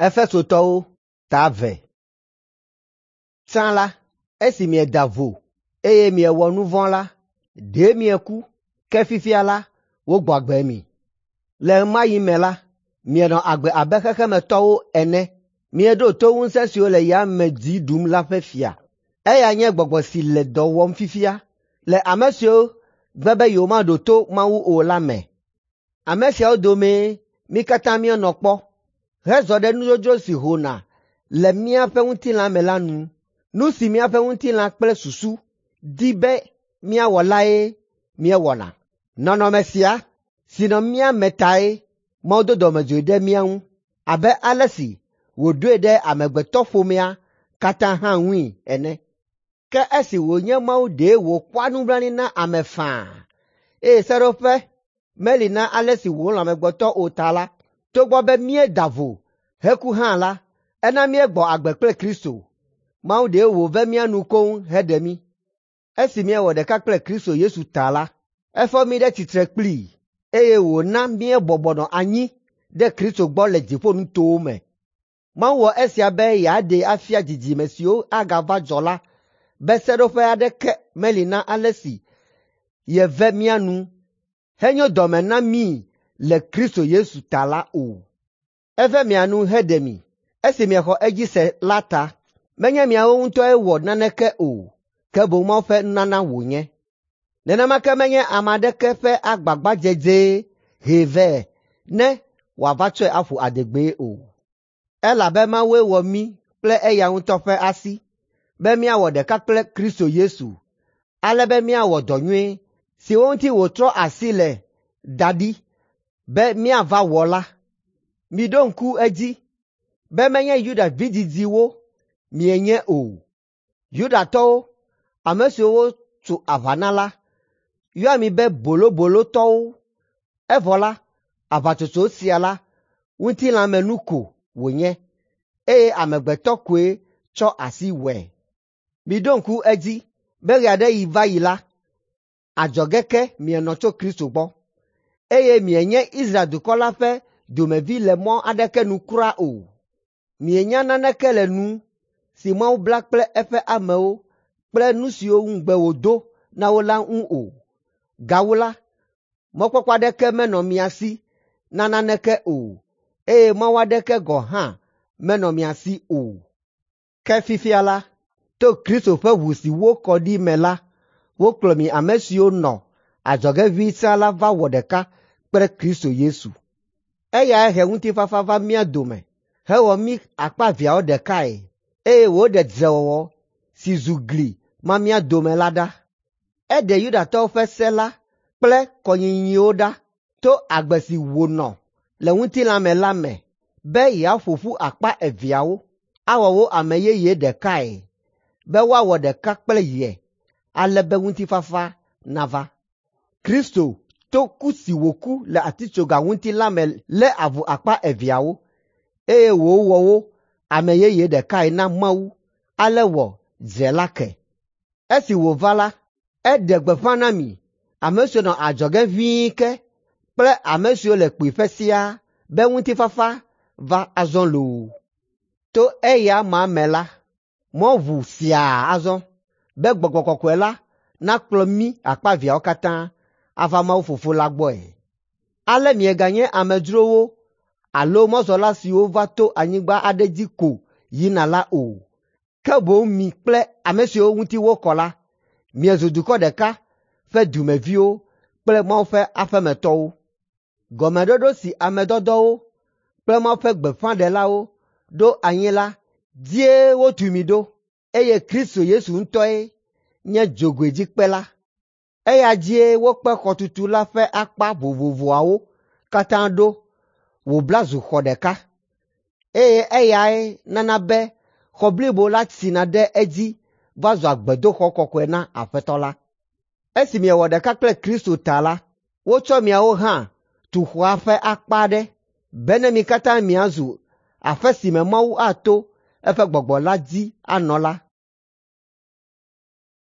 Efesotɔwo ta 2. Tsã la, esi mieda vo, eye miewɔ nu vɔ̃ la, ɖe mieku, ke fifia la, wogbɔ agbe mi. Le ɣe ma ɣi me la, mienɔ agbe abe xexemetɔwo ene. Mieɖo to ŋusẽ siwo le yame dzi ɖum la ƒe fia. Eya nye gbɔgbɔ si le dɔ wɔm fifia le ame siwo gbe be yewomaɖo to Mawu o la me. Ame siawo domee mí katã míenɔ kpɔ hezɔ ɖe nudzodzro si hona le míaƒe ŋutilã me la nu. Nu si míaƒe ŋutilã kple susu di be míawɔ lae míewɔna. Nɔnɔme sia si nɔ mía me tae Mawu do dɔmedzoe ɖe mía ŋu abe ale si wòɖoe ɖe amegbetɔƒomea katã hã ŋui ene. Ke esi wònye Mawu ɖe wòkpɔa nublanui na ame faa, eye seɖoƒe meli na ale si wòlɔ̃ amegbetɔ o ta la, togbɔ be míeda vo heku hã la, ena míegbɔ agbe kple Kristo. Mawu ɖe wòve mía nu koŋ heɖe mí. Esi míewɔ ɖeka kple Kristo Yesu ta la, efɔ mí ɖe tsitre kplii, eye wòna míebɔbɔ nɔ anyi ɖe Kristo gbɔ le dziƒonutowo me. Mawu wɔ esia be yeaɖee afia dzidzime siwo agava dzɔ la be seɖoƒe aɖeke meli na ale si yeve mía nu henyo dɔme na mí le Kristo Yesu ta la o. Eve mia nu heɖe mi esi miexɔ edzi se la ta. Menye miawo ŋutɔe wɔ naneke o, ke boŋ Mawu ƒe nunana wònye. Nenema ke menye ame aɖeke ƒe agbagbadzedzee hee vɛ ne wòava tsɔe aƒo adegbee o. Elabe Mawue wɔ mí kple eya ŋutɔ ƒe asi be míawɔ ɖeka kple Kristo Yesu, ale be míawɔ dɔ nyui siwo ŋuti wòtrɔ asi le da ɖi be míava wɔ la. Miɖo ŋku edzi be menye Yuda vidzidziwo mienye o. Yudatɔwo, ame siwo wotso aʋa na la, yɔa mi be bolobolotɔwo, evɔ la, aʋatsotso sia la, ŋutilãmenu ko wònye, eye amegbetɔ koe tsɔ asi wɔe. Miɖo ŋku edzi be ɣe aɖe ɣi va yi la, adzɔge ke mienɔ tso Kristo gbɔ, eye mienye Israel dukɔ la ƒe dumevi le mɔ aɖeke nu kura o. Mienya naneke le nu si Mawu bla kple eƒe amewo kple nu siwo ŋugbe wòdo na wo la ŋu o. Gawu la, mɔkpɔkpɔ aɖeke menɔ mia si na naneke o, eye Mawu aɖeke gɔ̃ hã menɔ mia si o. Ke fifia la, to Kristo ƒe ʋu si wokɔ ɖi me la, wokplɔ mi ame siwo nɔ adzɔge ʋĩi sã la va wɔ ɖeka kple Kristo Yesu. Eyae he ŋutifafa va mía dome hewɔ mí akpa eveawo ɖekae, eye wòɖe dzrewɔwɔ si zu gli ma mía dome la ɖa. Eɖe Yudatɔwo ƒe se la kple kɔnyinyiwo ɖa to agbe si wònɔ le ŋutilã me la me be yeaƒo ƒu akpa eveawo, awɔ wo ame yeye ɖekae, be woawɔ ɖeka kple ye, ale be ŋutifafa nava. Kristo to ku si wòku le atitsoga ŋuti la me lé avu akpa eveawo, eye wòwɔ wo ame yeye ɖekae na Mawu, ale wɔ dze la ke. Esi wòva la, eɖe gbeƒã na mi, ame siwo nɔ adzɔge ʋĩi ke kple ame siwo le kpuiƒe siaa be ŋutifafa va azɔ loo. To eya ma me la, mɔ ʋu siaa azɔ be Gbɔgbɔ Kɔkɔe la nakplɔ mí akpa eveawo katã ava Mawu Fofo la gbɔe. Ale mieganye amedzrowo alo mɔzɔla siwo va to anyigba aɖe dzi ko yina la o, ke boŋ mi kple ame siwo ŋuti wokɔ la, miezu dukɔ ɖeka ƒe dumeviwo kple Mawu ƒe aƒemetɔwo. Gɔmeɖoɖo si ame dɔdɔwo kple Mawu ƒe gbeƒãɖelawo ɖo anyi la dzie wotu mi ɖo, eye Kristo Yesu ŋutɔe nye dzogoedzikpe la. Eya dzie wokpe xɔtutu la ƒe akpa vovovoawo katã ɖo wòbla zu xɔ ɖeka, eye eyae nana be xɔ blibo la tsina ɖe edzi va zua gbedoxɔ kɔkɔe na Aƒetɔ la. Esi miewɔ ɖeka kple Kristo ta la, wotsɔ miawo hã tu xɔa ƒe akpa aɖe bene mi katã miazu aƒe si me Mawu ato eƒe Gbɔgbɔ la dzi anɔ la.